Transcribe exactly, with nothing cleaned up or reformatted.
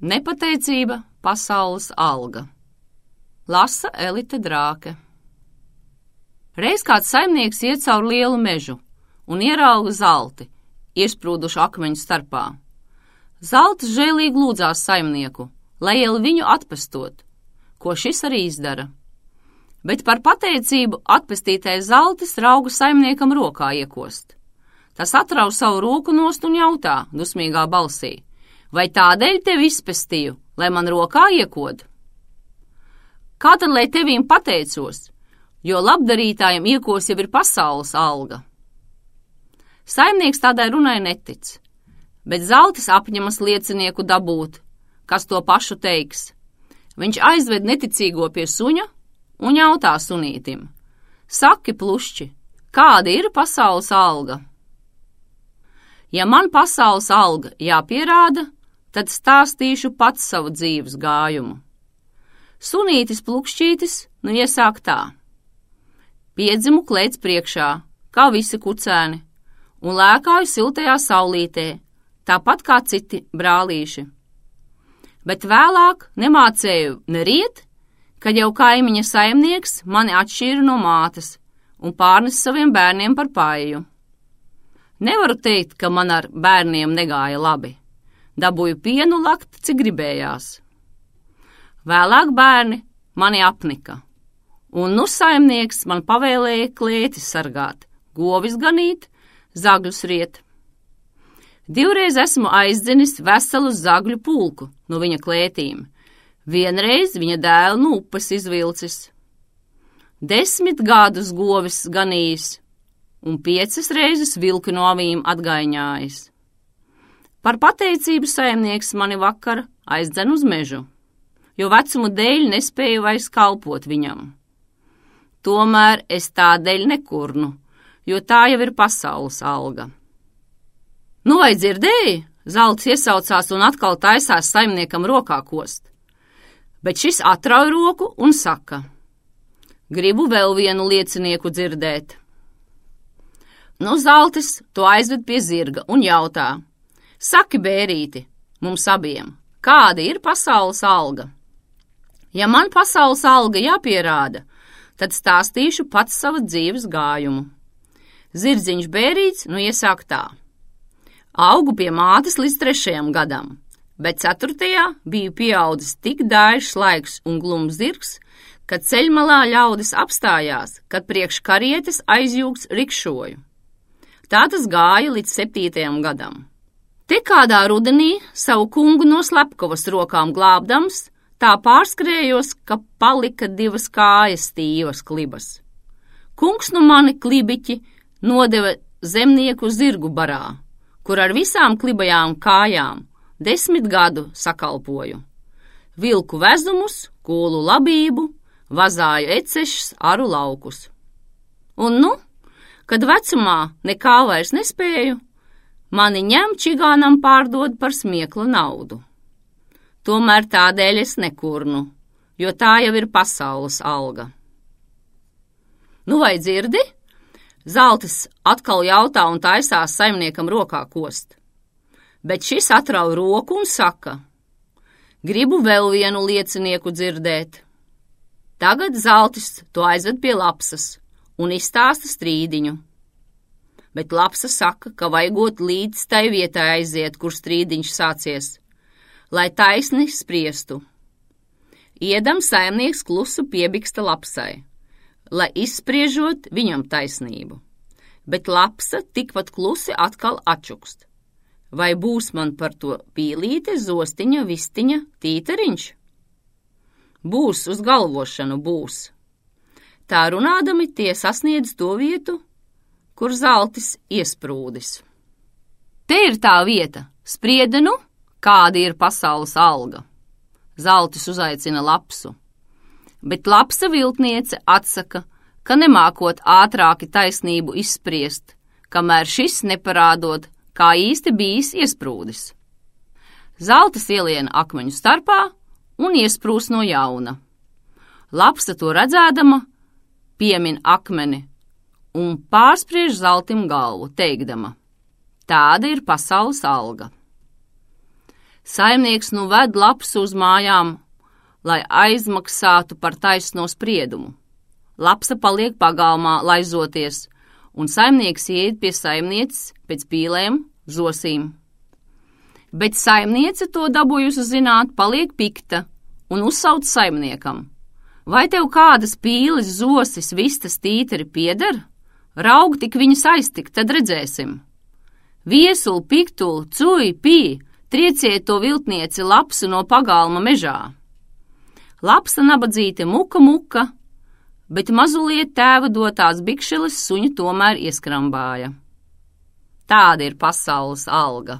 Nepateicība pasaules alga. Lasa Elite Drāke. Reiz kāds saimnieks iet caur lielu mežu un ierauga zalti, iesprūdušu akmeņu starpā. Zaltis žēlīgi lūdzās saimnieku, lai iel viņu atpestot, ko šis arī izdara. Bet par pateicību atpestītais zaltis rauga saimniekam rokā iekost. Tas atrauj savu roku nost un jautā dusmīgā balsī: vai tādēļ tevi izpestīju, lai man rokā iekod? Kā tad, lai tevīm pateicos, jo labdarītājiem iekos jau ir pasaules alga? Saimnieks tādai runai netic, bet zaltis apņemas liecinieku dabūt, kas to pašu teiks. Viņš aizved neticīgo pie suņa un jautā sunītim: saki, plušķi, kāda ir pasaules alga? Ja man pasaules alga jāpierāda, tad stāstīšu pats savu dzīves gājumu. Sunītis plukšķītis nu iesāk tā: piedzimu klēts priekšā, kā visi kucēni, un lēkāju siltajā saulītē, tāpat kā citi brālīši. Bet vēlāk nemācēju neriet, kad jau kaimiņa saimnieks mani atšķīra no mātes un pārnes saviem bērniem par paiju. Nevaru teikt, ka man ar bērniem negāja labi. Dabūju pienu lakt, cik gribējās. Vēlāk bērni mani apnika, un nu saimnieks man pavēlēja klētis sargāt, govis ganīt, zagļus riet. Divreiz esmu aizdzenis veselu zagļu pulku no viņa klētīm, vienreiz viņa dēlu no upes izvilcis. Desmit gadus govis ganījis, un piecas reizes vilku no avīm atgaiņājis. Par pateicību saimnieks mani vakar aizdzen uz mežu, jo vecumu dēļ nespēju vairs kalpot viņam. Tomēr es tādēļ nekurnu, jo tā jau ir pasaules alga. Nu vai dzirdēji? Zaltis iesaucās un atkal taisās saimniekam rokā kost. Bet šis atrauj roku un saka: gribu vēl vienu liecinieku dzirdēt. Nu zaltis to aizved pie zirga un jautā: saki, bērīti, mums abiem, kāda ir pasaules alga? Ja man pasaules alga jāpierāda, tad stāstīšu pats savu dzīves gājumu. Zirdziņš bērīts nu iesāk tā: augu pie mātes līdz trešajam gadam, bet ceturtajā biju pieaudzis tik daišs laiks un glums zirgs, kad ceļmalā ļaudis apstājās, kad priekš karietes aizjūgts rikšoju. Tā tas gāja līdz septītajam gadam. Te kādā rudenī savu kungu no slepkavas rokām glābdams, tā pārskrējos, ka palika divas kājas stīvas klibas. Kungs nu mani klibiķi nodeva zemnieku zirgu barā, kur ar visām klibajām kājām desmit gadu sakalpoju. Vilku vezumus, kūlu labību, vazāju ecešus, aru laukus. Un nu, kad vecumā nekā vairs nespēju, mani ņem čigānam pārdod par smiekla naudu. Tomēr tādēļ es nekurnu, jo tā jau ir pasaules alga. Nu vai dzirdi? Zaltis atkal jautā un taisās saimniekam rokā kost. Bet šis atrauj roku un saka: gribu vēl vienu liecinieku dzirdēt. Tagad zaltis to aizved pie lapsas un izstāsta strīdiņu. Bet lapsa saka, ka vajagot līdz tai vietai aiziet, kur strīdiņš sācies, lai taisni spriestu. Iedam saimnieks klusu piebiksta lapsai, lai izspriežot viņam taisnību. Bet lapsa tikpat klusi atkal atčukst. Vai būs man par to pīlīte, zostiņa, vistiņa, tītariņš? Būs uz galvošanu, būs. Tā runādami tie sasniedz to vietu, kur zaltis iesprūdis. Te ir tā vieta, spriedenu, kāda ir pasaules alga. Zaltis uzaicina lapsu, bet lapsa viltniece atsaka, ka nemākot ātrāki taisnību izspriest, kamēr šis neparādot, kā īsti bijis iesprūdis. Zaltis ieliena akmeņu starpā un iesprūs no jauna. Lapsa to redzēdama piemin akmeni un pārspriež zaltim galvu, teikdama: tāda ir pasaules alga. Saimnieks nu ved lapsu uz mājām, lai aizmaksātu par taisno spriedumu. Lapsa paliek pagalmā laizoties, un saimnieks iet pie saimnieces pēc pīlēm, zosīm. Bet saimniece to dabūjusi zināt, paliek pikta un uzsauc saimniekam. Vai tev kādas pīles, zosis, vistas, tīteri pieder? Raug tik viņas aiztikt, tad redzēsim. Viesuli, piktuli, cuj, pī, trieciet to viltnieci lapsu no pagalma mežā. Lapsa nabadzīte muka muka, bet mazuliet tēva dotās bikšeles suņu tomēr ieskrambāja. Tāda ir pasaules alga.